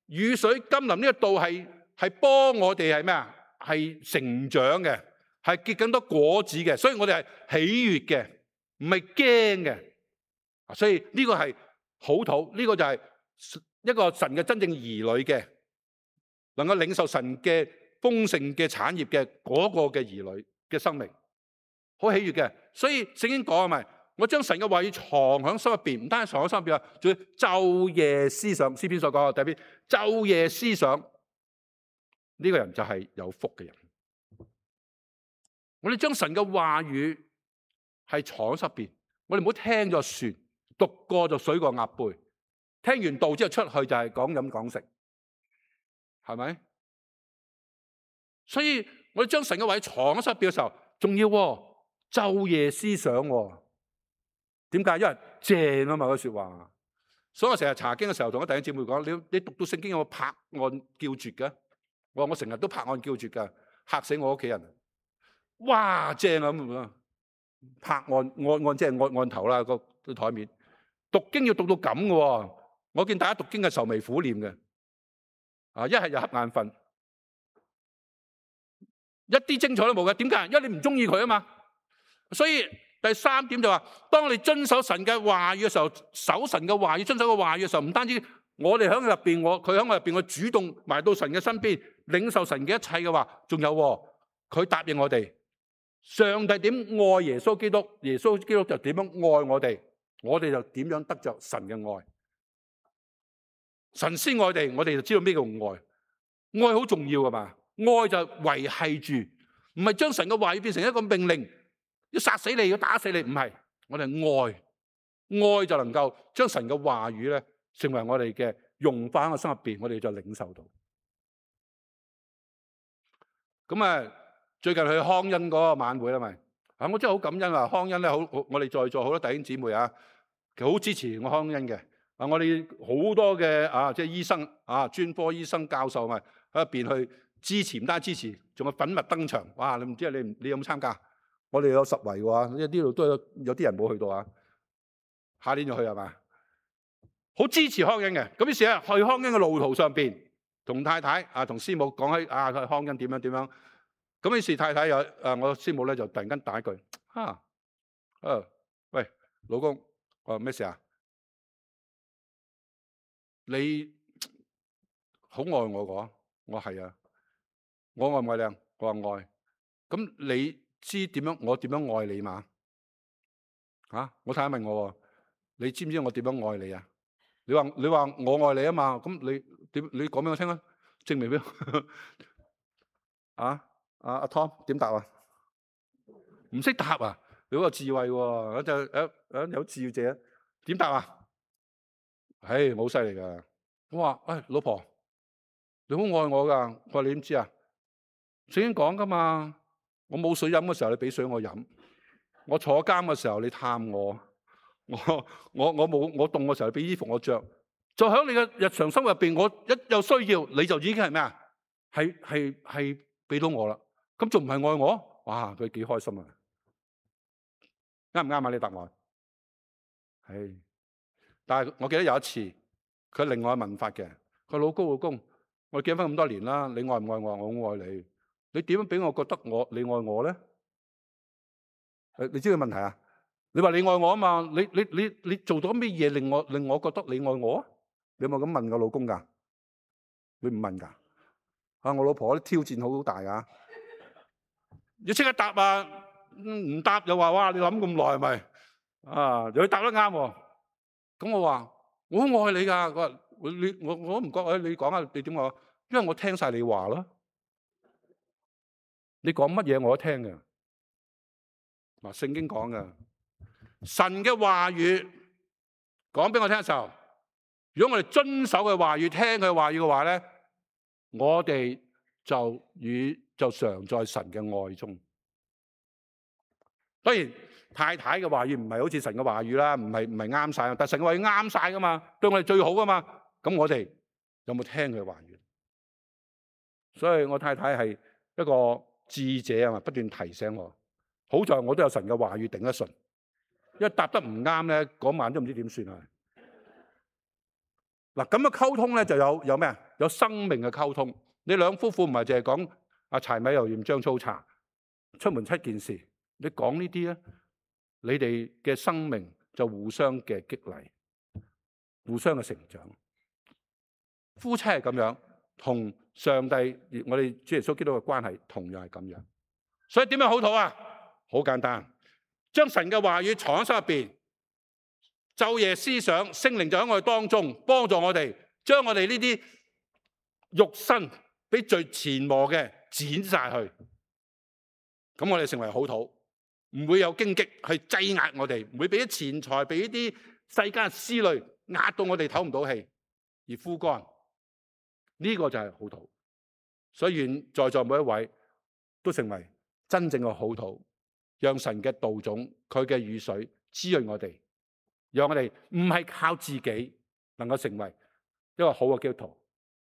雨水甘霖，呢個道係幫我哋係咩啊？係成長嘅，係結更多果子嘅。所以我哋係喜悅嘅，唔係驚嘅。所以呢個係好土，呢個就係一個神嘅真正兒女嘅，能夠領受神嘅豐盛嘅產業嘅嗰個嘅兒女嘅生命，好喜悅嘅。所以聖經講係咪？我將神嘅話語藏喺心入邊，唔單止藏喺心入邊啊，仲要晝夜思想。詩篇所講嘅第一篇，晝夜思想，呢個人就係有福嘅人。我哋將神嘅話語係藏喺心入邊，我哋唔好聽就算，讀過就水過鴨背。聽完道之後出去就係講飲講食，係咪？所以我哋將神嘅話語藏喺心入邊嘅時候，仲要晝夜思想。點解？因為正啊嘛，嗰說話。所以我成日查經嘅時候，同啲弟兄姊妹講：你讀到聖經有冇拍案叫絕嘅？我成日都拍案叫絕㗎，嚇死我屋企人。哇，正啊咁啊！拍案即係案頭啦，個台面。讀經要讀到咁嘅。我見大家讀經係愁眉苦臉嘅，一係就瞌眼瞓，一啲精彩都冇嘅。點解？因為你唔中意佢啊嘛。所以第3點就話，當你遵守神嘅話語嘅時候，守神嘅話語，遵守嘅話語嘅時候，唔單止我哋喺入邊，佢喺我入邊，我主動埋到神嘅身邊，領受神嘅一切嘅話，仲有佢答應我哋，上帝點愛耶穌基督，耶穌基督就點樣愛我哋，我哋就點樣得着神嘅愛。神先愛我哋就知道咩叫愛。愛好重要噶嘛，愛就維繫住，唔係將神嘅話語變成一個命令，要殺死你，要打死你，唔係。我哋愛就能夠將神嘅話語咧，成為我哋嘅融化喺個心入邊，我哋就領受到。咁最近去康恩嗰個晚會啦，咪我真係好感恩啊！康恩咧好，我哋在座好多弟兄姊妹啊，其實好支持我康恩嘅。我哋好多嘅即係醫生專科醫生教授咪喺入邊去支持，唔單止支持，仲有粉墨登場。哇！你唔知你有冇參加？我哋有10圍嘅，因為呢度都有啲人冇去到啊。下年就去係嘛？好支持康恩嘅。咁於是咧，去康恩嘅路途上邊，同太太同師母講起去康恩點樣。咁於是太太我師母咧就突然間打一句喂，老公，咩事啊？你好愛我個？我係啊，我愛唔愛你？我話愛。咁你知我點樣愛你嘛？我太太問我，你知唔知我點樣愛你啊？你話我愛你啊嘛？咁你講俾我聽啊，證明俾阿 Tom 點答啊？唔識答啊？你好有智慧喎，有智者。點答啊？好犀利噶！我話老婆，你好愛我噶。佢話你點知啊？聖經講噶嘛，我冇水飲嘅時候，你俾水我飲；我坐監嘅時候，你探我；我凍嘅時候，你俾衣服我着。就喺你嘅日常生活入邊，我一有需要，你就已經係咩啊？係俾到我啦。咁仲唔係愛我？哇！佢幾開心啊！啱唔啱啊？你答案係。但係我記得有一次，佢另外問法嘅。佢老公，我哋結婚咁多年啦，你愛唔愛我？我好愛你。你點樣俾我覺得你愛我咧？你知佢問題啊？你話你愛我啊嘛？你做到咩嘢令我覺得你愛我啊？你有冇咁問個老公噶？你唔問噶？我老婆啲挑戰好大噶，要即刻答啊！唔答又話哇，你諗咁耐係咪？又要答得啱喎。咁我話我好愛你噶。佢話我唔覺，你講下你點講？因為我聽晒你話咯。你講乜嘢我都聽嘅。嗱，聖經講嘅神嘅話語講俾我聽嘅時候，如果我哋遵守佢話語，聽佢話語嘅話咧，我哋就常在神嘅愛中。當然太太嘅話語唔係好似神嘅話語啦，唔係啱晒，但神嘅話語啱晒噶嘛，對我哋最好噶嘛。咁我哋有冇聽佢嘅話語？所以我太太係一個智者啊嘛，不斷提醒我。好在我都有神嘅話語頂得順，因為答得唔啱咧，嗰晚都唔知點算啊！嗱，咁嘅溝通咧就有咩啊？有生命嘅溝通。你兩夫婦唔係淨係講柴米油鹽醬醋茶，出門七件事。你講呢啲咧，你哋嘅生命就互相嘅激勵，互相嘅成長。夫妻係咁樣，同上帝我哋主耶穌基督嘅關係同樣係咁樣。所以點樣好禱啊？好簡單，將神嘅話語藏喺心入邊，晝夜思想，聖靈就喺我哋當中幫助我哋，將我哋呢啲肉身俾最前磨嘅剪晒去。咁我哋成為好禱，唔會有荊棘去擠壓我哋，唔會俾啲錢財，俾啲世間思慮壓到我哋唞唔到氣而枯乾。呢個就係好禱。所以願在座每一位都成為真正嘅好禱。讓神嘅道種，佢嘅雨水滋潤我哋，讓我哋唔係靠自己能夠成為一個好嘅基督徒，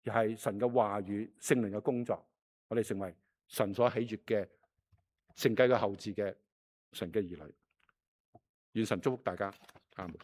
而係神嘅話語、聖靈嘅工作，我哋成為神所喜悅嘅承繼嘅後嗣嘅神嘅兒女。願神祝福大家，阿們。